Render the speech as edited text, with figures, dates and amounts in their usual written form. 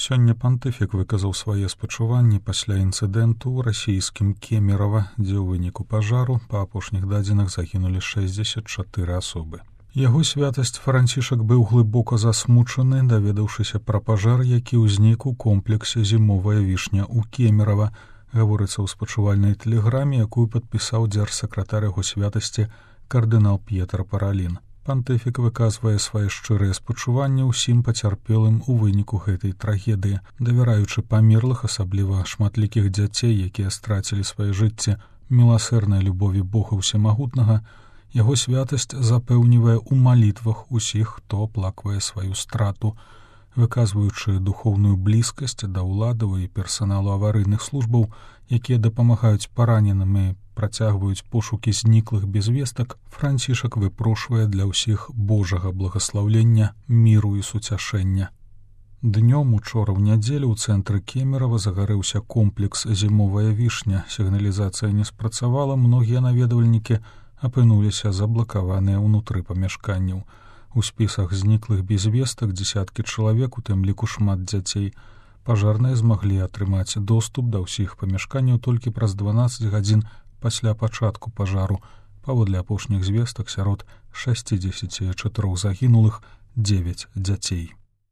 Сёння пантыфік выказаў свае спачуванні пасля інцыдэнту ў расійскім Кемерава, дзе ў выніку пажару па апошніх дадзеных загінулі 64 асобы. Яго святасць Францішак быў глыбока засмучаны, даведаўшыся пра пажар, які ўзнік у комплексе «Зімовая вішня» ў Кемерава, гаворыцца ў спачувальнай тэлеграме, якую падпісаў дзяржсакратар яго святасці кардынал П'етр Паралін. Пантыфік выказвае свае шчырыя спачуванні ўсім пацярпелым у выніку гэтай трагедыі, давяраючы памерлых, асабліва шматлікіх дзяцей, якія страцілі свае жыцці, міласэрнай любові Бога ўсемагутнага. Яго святасць запэўнівае ў малітвах усіх, хто аплаквае сваю страту, выказваючы духоўную блізкасць да ўладаў і персаналу аварыйных службаў, якія дапамагаюць параненым і працягваюць пошукі зніклых без вестак, Францішак выпрошвае для ўсіх Божага благаслаўлення, міру і суцяшэння. Днём учора ў нядзелю ў цэнтры Кемерава загарэўся комплекс «Зімовая вішня». Сігналізацыя не спрацавала, многія наведвальнікі апынуліся заблакаваныя ўнутры памяшканняў. У спісах зніклых без вестак дзесяткі чалавек, у тым ліку шмат дзяцей. Пажарныя змаглі атрымаць доступ да ўсіх памяшканняў толькі праз 12 гадзін пасля пачатку пажару. Паводле апошніх звестак, сярод 64 загінулых 9 дзяцей.